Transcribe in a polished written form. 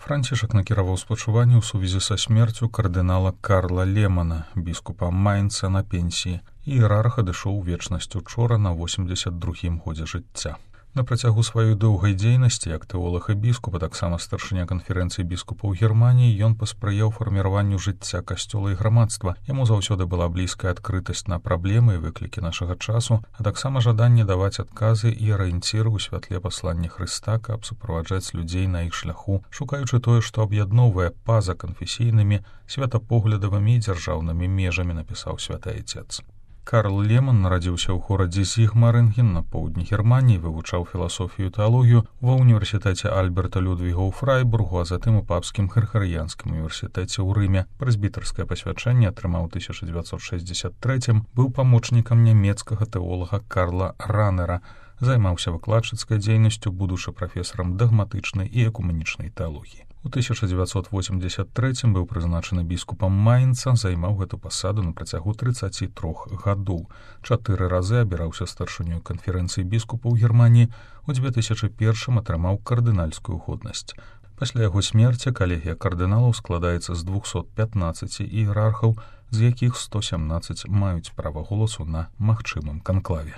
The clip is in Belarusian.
Францішак накіраваў спачуванне ў сувязі са смерцю кардынала Карла Лемана, біскупа Майнца на пенсіі, і іерарх адышоў у вечнасць учора на 82-м годзе жыцця. На працягу сваёй доўгай дзейнасці як тэолаг і біскуп, а таксама старшыня канферэнцыі біскупаў Германіі, ён паспрыяў фарміраванню жыцця касцёла і грамадства. Яму заўсёды была блізкая адкрытасць на праблемы і выклікі нашага часу, а таксама жаданне даваць адказы і арыенціры ў святле паслання Хрыста, каб суправаджаць людзей на іх шляху, шукаючы тое, што аб'ядноўвае па-за канфесійнымі, святапоглядавымі і дзяржаўнымі межамі, напісаў святы Айцец. Карл Леман нарадзіўся ў горадзе Зігмарынген на поўдні Германіі, вывучаў філасофію і тэалогію ва ўніверсітэце Альберта Людвіга ў Фрайбургу, а затым у папскім Грыгарыянскім універсітэце ў Рыме. Прэзбітарскае пасвячэнне атрымаў у 1963-м, быў памочнікам нямецкага тэолага Карла Ранера, займаўся выкладчыцкай дзейнасцю, будучы прафесарам дагматычнай і экуменічнай тэалогіі. У 1983-м быў прызначаны біскупам Майнца, займаў гэту пасаду на працягу 33 гадоў. 4 разы абіраўся старшынёй канферэнцыі біскупаў Германіі, у 2001-м атрымаў кардынальскую годнасць. Пасля яго смерці калегія кардыналаў складаецца з 215 іерархаў, з якіх 117 маюць права голасу на магчымым канклаве.